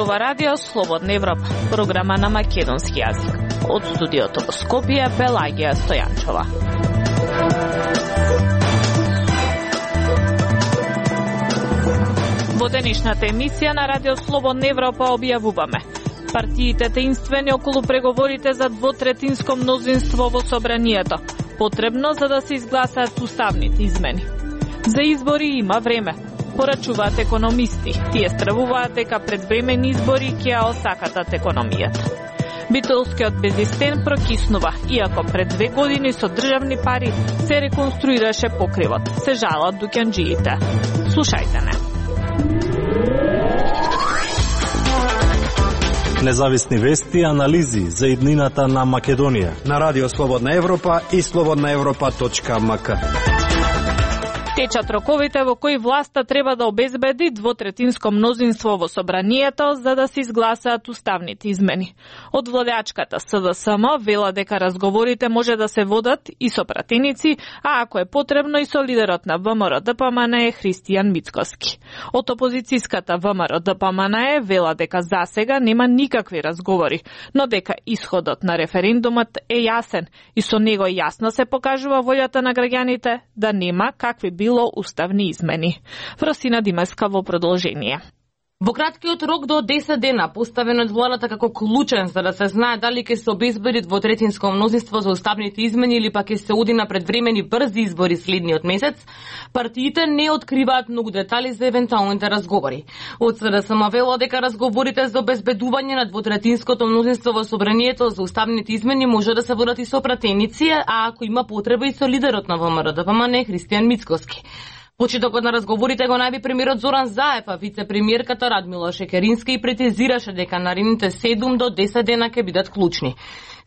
зборува Радио Слободна Европа, програма на македонски јазик. Од студиото во Скопје, Пелагија Стојанчова. Во денешната емисија на Радио Слободна Европа објавуваме: партиите таинствени околу преговорите за двотретинско мнозинство во собранието, потребно за да се изгласаат уставните измени. За избори има време, порачуваат економисти. Тие стравуваат дека предвремени избори ќе ја осакатат економијата. Битолскиот безистен прокиснува, иако пред 2 години со државни пари се реконструираше покривот. Се жалат дуќанџиите. Слушајте не. Независни вести и анализи за иднината на Македонија на Радио Слободна Европа и slobodnaevropa.mk. Течат роковите во кои власта треба да обезбеди двотретинско мнозинство во собранието за да се изгласаат уставните измени. Од владеачката СДСМ вела дека разговорите може да се водат и со пратеници, а ако е потребно и со лидерот на ВМРО-ДПМН Христијан Мицкоски. Од опозицијската ВМРО-ДПМН вела дека засега нема никакви разговори, но дека исходот на референдумот е јасен и со него јасно се покажува волјата на граѓаните да нема какви било уставни измени. Фросина Димеска во продолжение. Во краткиот рок до 10 дена, поставен од владата како клучен за да се знае дали ќе се обезбеди двотретинско мнозинство за уставните измени или пак ќе се оди на предвремени брзи избори следниот месец, партиите не откриваат многу детали за евентуалните разговори. Од СДСМ вела дека разговорите за обезбедување на двотретинското мнозинство во собранието за уставните измени може да се водат и со пратеници, а ако има потреба и со лидерот на ВМРО-ДПМН Христијан Мицкоски. Почетокот на разговорите го најави премиерот Зоран Заев, а вице-премиерката Радмила Шекеринска и претезираше дека наредните 7 до 10 дена ќе бидат клучни.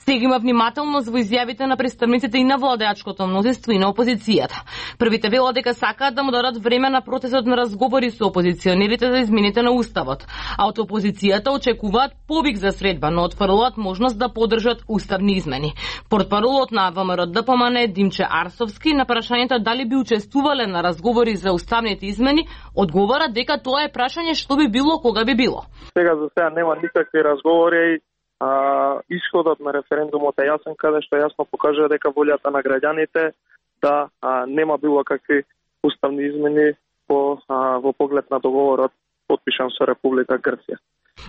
Сега има внимателност во изјавите на представниците и на владеачкото мнозинство и на опозицијата. Првите вела дека сакаат да му дадат време на процесот на разговори со опозиционерите за измените на уставот, а од опозицијата очекуваат повик за средба, но отфрлуваат можност да поддржат уставни измени. Портпаролот на ВМРО-ДПМН Димче Арсовски на прашањето дали би учествувале на разговори за уставните измени, одговара дека тоа е прашање што би било кога би било. Сега за сега нема никакви разговори. Исходот на референдумот е јасен, каде што јасно покажува дека волјата на граѓаните да нема било какви уставни измени во поглед на договорот потпишан со Република Грција.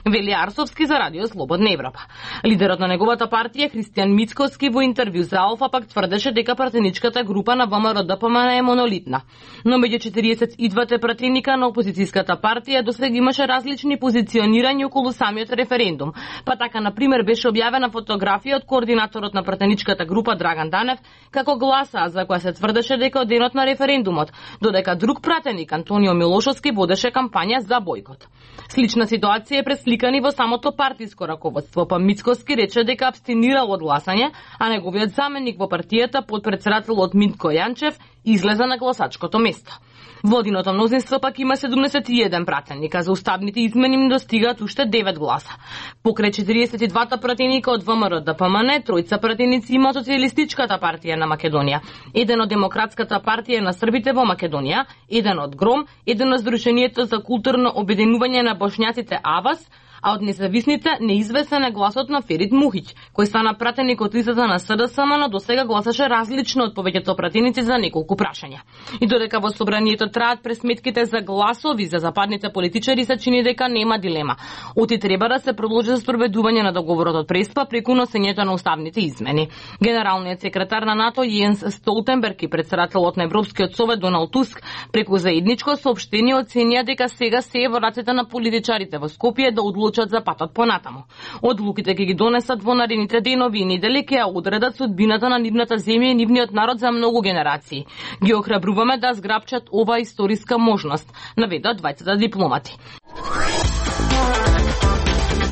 Вели Арсовски за Радио Слободна Европа. Лидерот на неговата партија Христијан Мицкоски во интервју за Алфа пак тврдеше дека пратеничката група на ВМРО-ДПМН е монолитна. Но меѓу 42 пратеника на опозицијската партија досега имаше различни позиционирања околу самиот референдум. Па така, например, беше објавена фотографија од координаторот на пратеничката група Драган Данев како гласа за која се тврдеше дека од денот на референдумот, додека друг пратеник Антонио Милошовски водеше кампања за бојкот. Слична ситуација е пресликани во самото партиско раководство, па Мицкоски рече дека абстинирал од гласање, а неговиот заменик во партијата, потпредседателот Митко Јанчев, излезе на гласачкото место. Владиното мнозинство пак има 71 пратеника, за уставните измени им достигаат уште 9 гласа. Покрај 42 пратеника од ВМРО-ДПМН, тројца пратеници има Социјалистичката партија на Македонија, еден од Демократската партија на србите во Македонија, еден од ГРОМ, еден од Сдруженијето за културно обединување на бошњаците АВАС, а од независните неизвестен е гласот на Ферит Мухиќ, кој стана пратеник од листата на СДСМ, но досега гласаше различно од повеќето пратеници за неколку прашања. И додека во собранието траат пресметките за гласови за западните политичари, се чини дека нема дилема. Оти треба да се продолжи за спроведување на договорот од Преспа преку носењето на уставните измени. Генералниот секретар на НАТО Јенс Столтенберг и председателот на Европскиот совет Доналд Туск преку заедничко соопштение оценија дека сега се е во рацете на политичарите во Скопје да одлучат за патот понатаму. Одлуките ќе ги донесат во наредните денови и недели, ќе ја одредат судбината на нивната земја и нивниот народ за многу генерации. Ги охрабруваме да зграпчат ова историска можност, наведоа двајцата дипломати.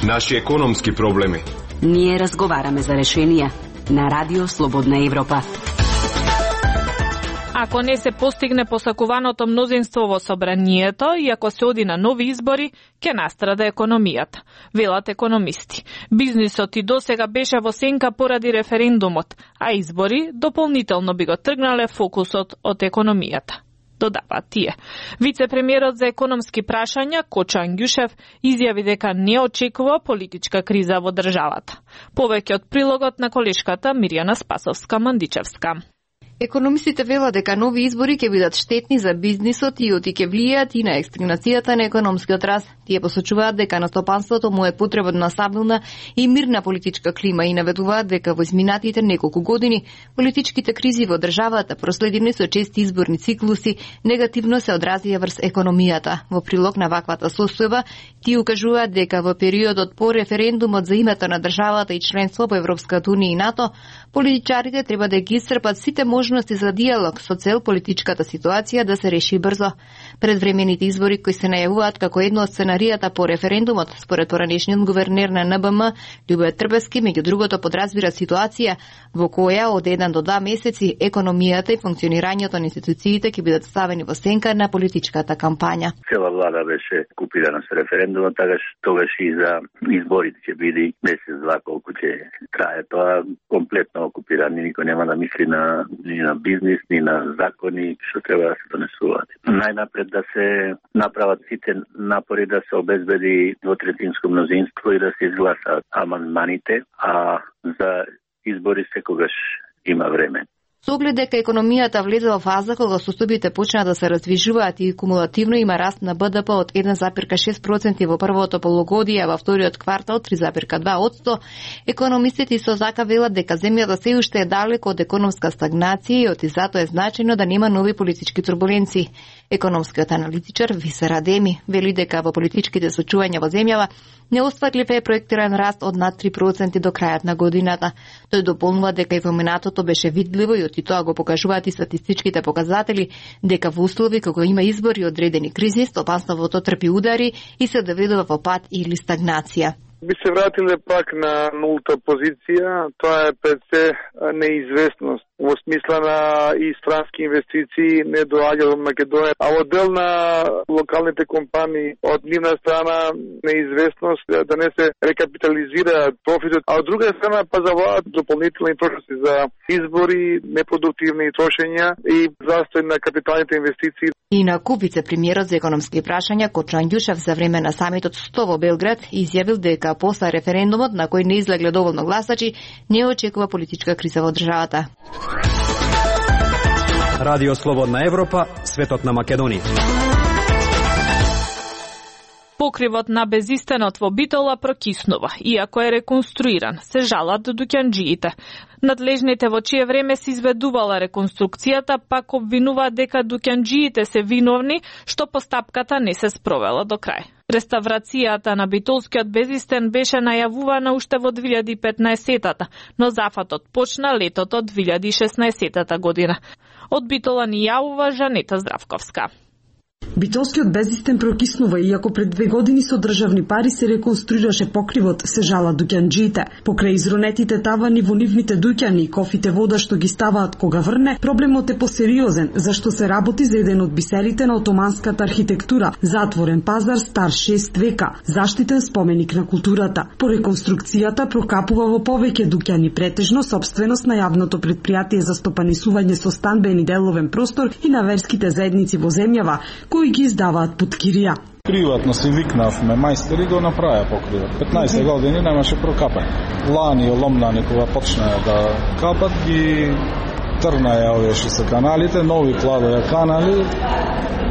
Наши економски проблеми. Ние разговараме за решенија на Радио Слободна Европа. Ако не се постигне посакуваното мнозинство во собранието и ако се оди на нови избори, ќе настрада економијата, велат економисти. Бизнисот и досега беше во сенка поради референдумот, а избори дополнително би го тргнале фокусот од економијата. додава тие. Вице-премиерот за економски прашања Кочо Ангјушев изјави дека не очекува политичка криза во државата. Повеќе од прилогот на колешката Мирјана Спасовска-Мандичевска. Економистите велат дека нови избори ќе бидат штетни за бизнисот и оти ќе влијаат и на екстагнацијата на економскиот раст. Тие посочуваат дека на стопанството му е потребна стабилна и мирна политичка клима и наведуваат дека во изминатите неколку години политичките кризи во државата, проследени со чести изборни циклуси, негативно се одразија врз економијата. Во прилог на ваквата состојба, тие укажуваат дека во периодот по референдумот за името на државата и членство во Европската унија и НАТО, политичарите треба да ги исцрпат сите можности за диалог со цел политичката ситуација да се реши брзо. Предвремените избори кои се најавуваат како едно од сценаријата по референдумот, според поранешниот гувернер на НБМ, Љубоје Трбевски, меѓу другото подразбира ситуација во која од 1 до 2 месеци економијата и функционирањето на институциите ќе бидат ставени во сенка на политичката кампања. Цела влада беше окупирана со референдумот, тогаш и за изборите ќе биде месец-два колку ќе трае тоа, комплетно окупиран, никој нема да мисли ни на бизнис, ни на закони што треба да се донесуваат. Најнапред да се направат сите напори да се обезбеди двотретинско мнозинство и да се изгласаат амандманите, а за избори секогаш има време. Со оглед дека економијата влезе во фаза кога состојбите почнаа да се раздвижуваат и кумулативно има раст на БДП од 1,6% во првото полугодие, а во вториот квартал 3,2%, економистите исто така велат дека земјата се уште е далеко од економска стагнација и оти затоа е значајно да нема нови политички турбуленции. Економскиот аналитичар Висер Адеми вели дека во политичките случувања во земјава неостварлив е проектиран раст од над 3% до крајот на годината. Тој дополнува дека и во минатото беше видливо и и тоа го покажуваат и статистичките показатели дека во услови кога има избори и одредени кризи, стопанството трпи удари и се доведува во пат или стагнација. Би се вратиле пак на нулта позиција, тоа е пред се неизвестност. Во смисла на и странски инвестиции не доаѓаат во Македонија, а во дел на локалните компании од нивна страна неизвестност да не се рекапитализира профитот, а од друга страна пазаруваат дополнителни трошоци за избори, непродуктивни трошења и застој на капиталните инвестиции. Инаку вице-премиерот за економски прашања Кочо Ангјушев за време на самитот 100 во Белград изјавил дека после референдумот на кој не излегле доволно гласачи, не очекува политичка криза во државата. Радио Слободна Европа, светот на Македонија. Покривот на безистенот во Битола прокиснува, иако е реконструиран, се жалат дуќанџиите. Надлежните во чие време се изведувала реконструкцијата пак обвинуваат дека дуќанџиите се виновни што постапката не се спровела до крај. Реставрацијата на битолскиот безистен беше најавувана уште во 2015-тата, но зафатот почна летото 2016 година. Од Битола ни јавува Жанета Здравковска. Битолскиот безистен прокиснува, иако пред 2 години со државни пари се реконструираше покривот, се жалат дуќанџиите. Покрај изронетите тавани во нивните дуќани и кофите вода што ги ставаат кога врне, проблемот е посериозен, зашто се работи за еден од бисерите на отоманската архитектура, затворен пазар стар 6 века, заштитен споменик на културата. По реконструкцијата прокапува во повеќе дуќани, претежно собственост на јавното предпријатие за стопанисување со станбен и деловен простор и на верските заедници во земјава, кои ги издаваат под кирија. Приватно си викнавме, мајстори го направија покривот. 15 години немаше прокапање. Лани, оломнани, кога почнаа да капат, ги трнаја овие што се каналите, нови кладоја канали,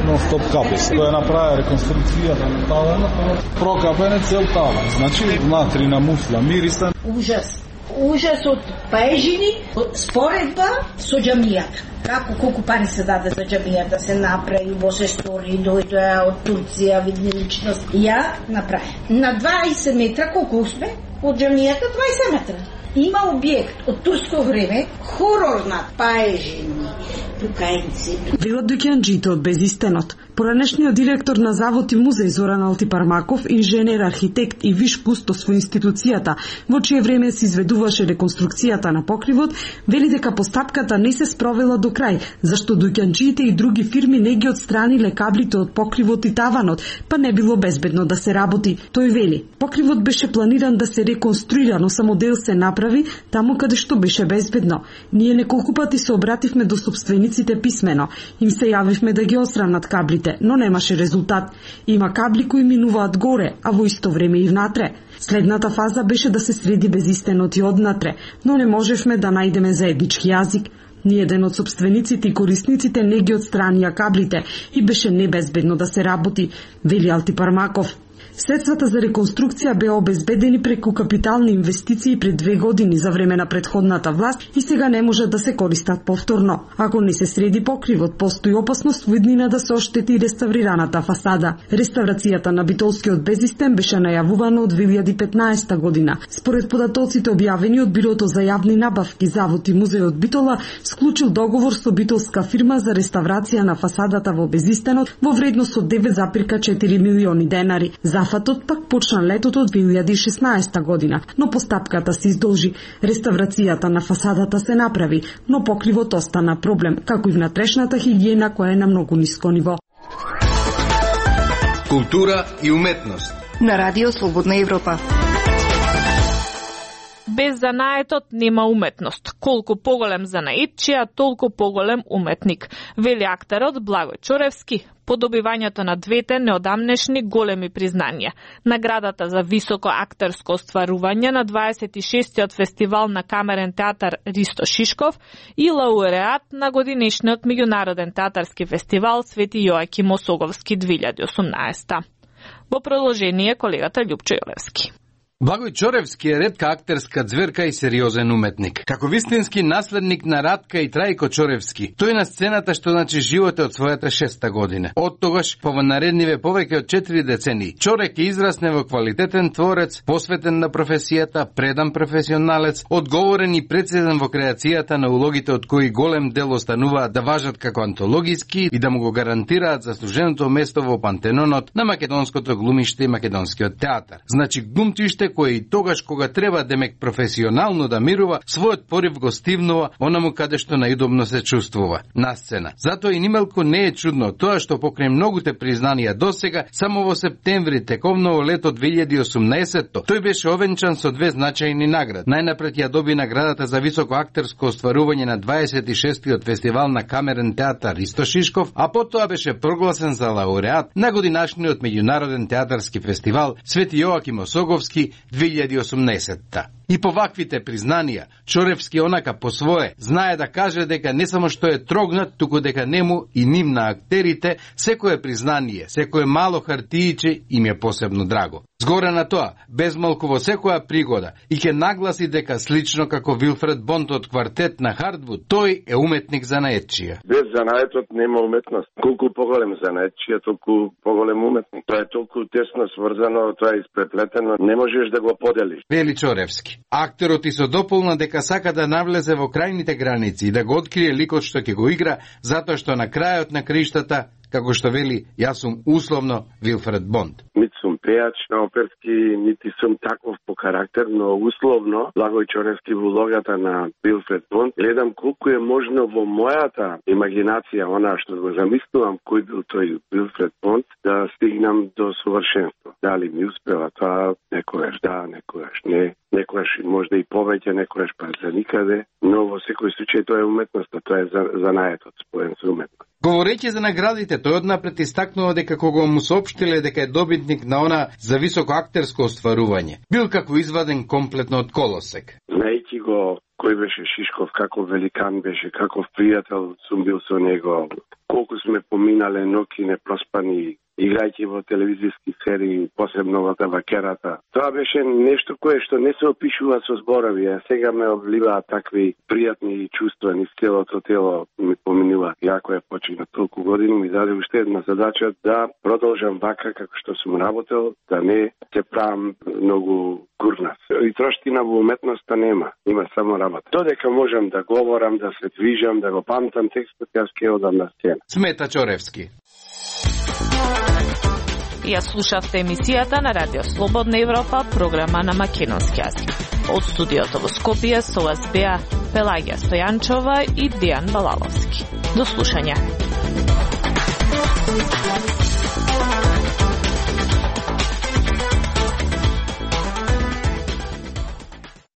но стоп капи. Која направија реконструкцијата на таванот, прокапен цел таван. Значи, внатри на муфла, мирисан. Ужас од паежини, споредба со џамијата. Колку пари се даде за џамијата да се направи, во се стори, дојдоа од Турција, видни личност. Ја направи. На 20 метра, колку сме? Од џамијата 20 метра. Има објект од турско време, хорор на паежини, покајници. Велат дуќанџиите од безистенот. Поранешниот директор на Завод и музеј Зоран Алтипармаков, инженер, архитект и виш кустос во институцијата, во чие време се изведуваше реконструкцијата на покривот, вели дека постапката не се спровела до крај, зашто дуќанчиите и други фирми не ги отстраниле каблите од покривот и таванот, па не било безбедно да се работи. Тој вели, покривот беше планиран да се реконструира, но само дел се направи таму каде што беше безбедно. Ние неколку пати се обративме до сопствениците писмено. Им се јавивме да ги отстранат каблите, но немаше резултат. Има кабли кои минуваат горе, а во исто време и внатре. Следната фаза беше да се среди безистенот и однатре, но не можевме да најдеме заеднички јазик. Ниеден од сопствениците и корисниците не ги отстранија каблите и беше небезбедно да се работи, вели Алтипармаков. Средствата за реконструкција беа обезбедени преку капитални инвестиции пред 2 години за време на претходната власт и сега не може да се користат повторно. Ако не се среди покривот, постои опасност во иднина да се оштети реставрираната фасада. Реставрацијата на Битолскиот безистен беше најавувана од 2015 година. Според податоците објавени од Бирото за јавни набавки, Завод и музејот Битола склучил договор со битолска фирма за реставрација на фасадата во безистенот во вредност од 9,4 милиони денари. Зафатот пак почна летото од 2016 година, но постапката се издолжи. Реставрацијата на фасадата се направи, но покривот остана проблем, како и внатрешната хигиена која е на многу ниско ниво. Култура и уметност на Радио Слободна Европа. Без занаетот нема уметност. Колку поголем занаетчија, толку поголем уметник, вели актерот Благој Чоревски по добивањето на двете неодамнешни големи признанија. Наградата за високо актерско остварување на 26-тиот фестивал на камерен театар Ристо Шишков и лауреат на годинешниот меѓународен театарски фестивал Свети Јоаким Осоговски 2018. Во продолжение колегата Љупчо Јолевски. Благој Чоревски е ретка актерска ѕверка и сериозен уметник. Како вистински наследник на Радка и Трајко Чоревски, тој на сцената што значи живот од својата 6-та година. Од тогаш, по наредниве повеќе од 4 децении, Чорек израсне во квалитетен творец, посветен на професијата, предан професионалец, одговорен и прецизен во креацијата на улогите од кои голем дел остануваат да важат како антологиски и да му го гарантираат заслуженото место во пантенонот на македонското глумиште и македонскиот театар. Значи глумчиште кој и тогаш кога треба демек професионално да мирува, својот порив го стивнува онаму каде што најудобно се чувствува, на сцена. Затоа и нималку не е чудно тоа што покрај многуте признанија досега, само во септември тековно лето 2018 тој беше овенчан со 2 значајни награди. Најнапред ја доби наградата за високо актерско остварување на 26-тиот фестивал на камерен театар Ристо Шишков, а потоа беше прогласен за лауреат на годинашниот меѓународен театарски фестивал Свети Јоаким Осоговски 2018. И по ваквите признанија, Чоревски онака по свое знае да каже дека не само што е трогнат, туку дека нему и ним на актерите секое признание, секое мало хартииче им е посебно драго. Згоре на тоа, безмалку во секоја пригода и ќе нагласи дека слично како Вилфред Бонд од квартет на Хардвуд, тој е уметник занаетчија. Без занаетот нема уметност. Колку поголем занаетчија, толку поголем уметник. Тоа е толку тесно сврзано, тоа е испреплетено, не можеш да го поделиш. Вели Чоревски. Актерот и со дополна дека сака да навлезе во крајните граници и да го открие ликот што ќе го игра, затоа што на крајот на криштата, како што вели, јас сум условно Вилфред Бонд. Нити сум пејач на оперски, нити сум таков по карактер, но условно Благој Чоревски во улогата на Вилфред Бонд гледам колку е можно во мојата имагинација, она што го замислувам кој бил тој Вилфред Бонд, да стигнам до совршенство. Дали ми успева тоа, некојаш да, некојаш не, некојаш можда и повеќе, некојаш па за никаде, но во секој случај тоа е уметноста, тоа е занаетот споен со уметност. Говорејќи за наградите, тој однапред истакнува дека кога му соопштиле дека е добитник на она за високо актерско остварување, бил како изваден комплетно од колосек. Знаејќи го кој беше Шишков, како великан беше, како пријател сум бил со него, колку сме поминале ноќи непроспани, играјќи во телевизиски серии, посебно во Табакерата. Тоа беше нешто кое што не се опишува со зборови, а сега ме обливаат такви пријатни чувства низ целото тело, ми поминува. Јако е почина толку години, ми даде уште една задача да продолжам вака како што сум работел, да не се правам многу гурнат. И троштина во уметноста нема, има само работа. Додека можам да говорам, да се движам, да го памтам текстот, јас ќе одам на сцена. Смета Чоревски. Ја слушавте емисијата на Радио Слободна Европа, програма на македонски јазик. Од студиото во Скопје со вас беа Пелагија Стојанчова и Дијан Балаловски. До слушање.